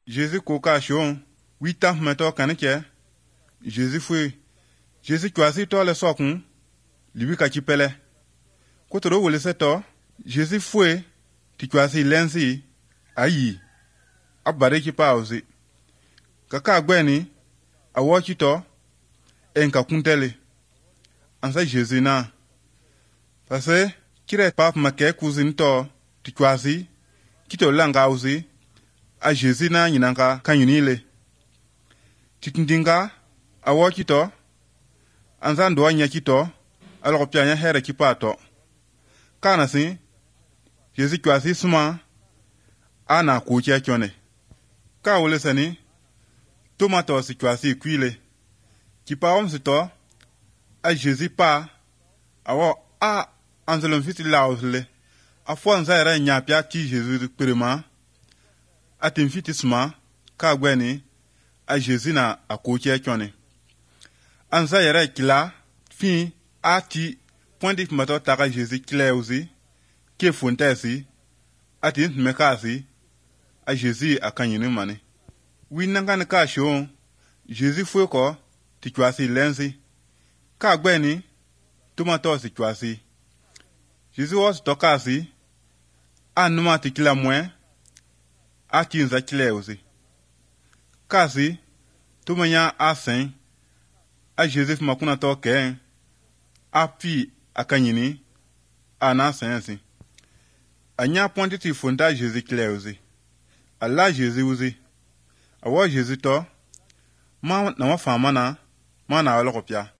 Jésus koka shon, 8 ans meto kanike. Jésus fue. Jésus choisi to le sokun, libi ka chipele. Kotoro wole seto, Jésus fue, ti choisi lensi, ayi, abare ki pa ozi. Kaka gweni, awo chito, enka kuntele. Ansa Jésus na. Parce, kire pap make kuzin to, ti choisi, kito langa ozi, a Jésus na nyinanga kanyunile. Titindinga, awo chito, ansa ndo anya chito, alors pianya here kipato. Kana si, Jésus choisi suma, ana kuchia chone. Ka wole sani, tomato si choisi kuile. Kipa omsito, a Jésus pa, awo a anselon fiti lausle. A fwa nza era nyapia ti Jésus prema, a timfiti suma, ka gweni, a Jésus na a kuchia chone. Anza era kila, fin, a ti, pointi mato taka Jésus kile uzi, ke fontesi, a ti mekasi, a Jésus a kanyini mani. Winanga ne ka shon, Jésus fue ko, ti choisi lensi. Ka gweni, tomato si choisi. Jésus was tokasi, a numa ti kila mwen, a ti nza kile uzi. Kasi, tumanya a sen, a Jésus makuna to ken, a pi a kanyini, a na sensi. A nya pointi ti fonda Jésus kile uzi. A la Jésus uzi. A wa Jésus to, ma na wa fama na, ma na wa lokopya.